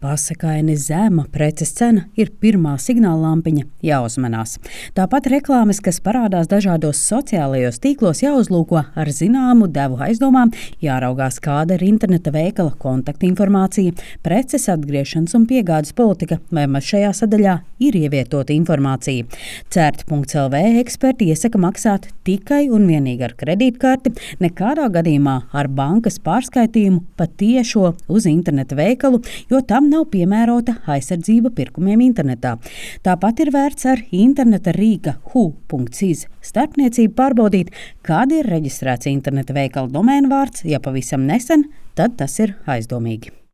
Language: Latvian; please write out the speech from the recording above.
Pasakaini zema preces cena ir pirmā signāla lampiņa jāuzmanās. Tāpat reklāmas, kas parādās dažādos sociālajos tīklos, jāuzlūko ar zināmu devu aizdomām, jāraugās, kāda ir interneta veikala kontaktinformācija, preces atgriešanas un piegādes politika, vai maz šajā sadaļā ir ievietota informācija. Cert.lv eksperti iesaka maksāt tikai un vienīgi ar kredītkarti, nekādā gadījumā ar bankas pārskaitījumu pa tiešo uz interneta veikalu, jo tam nav piemērota aizsardzība pirkumiem internetā. Tāpat ir vērts ar interneta rīka hu.iz starpniecību pārbaudīt, kāda ir reģistrēts interneta veikala domēna vārds, ja pavisam nesen, tad tas ir aizdomīgi.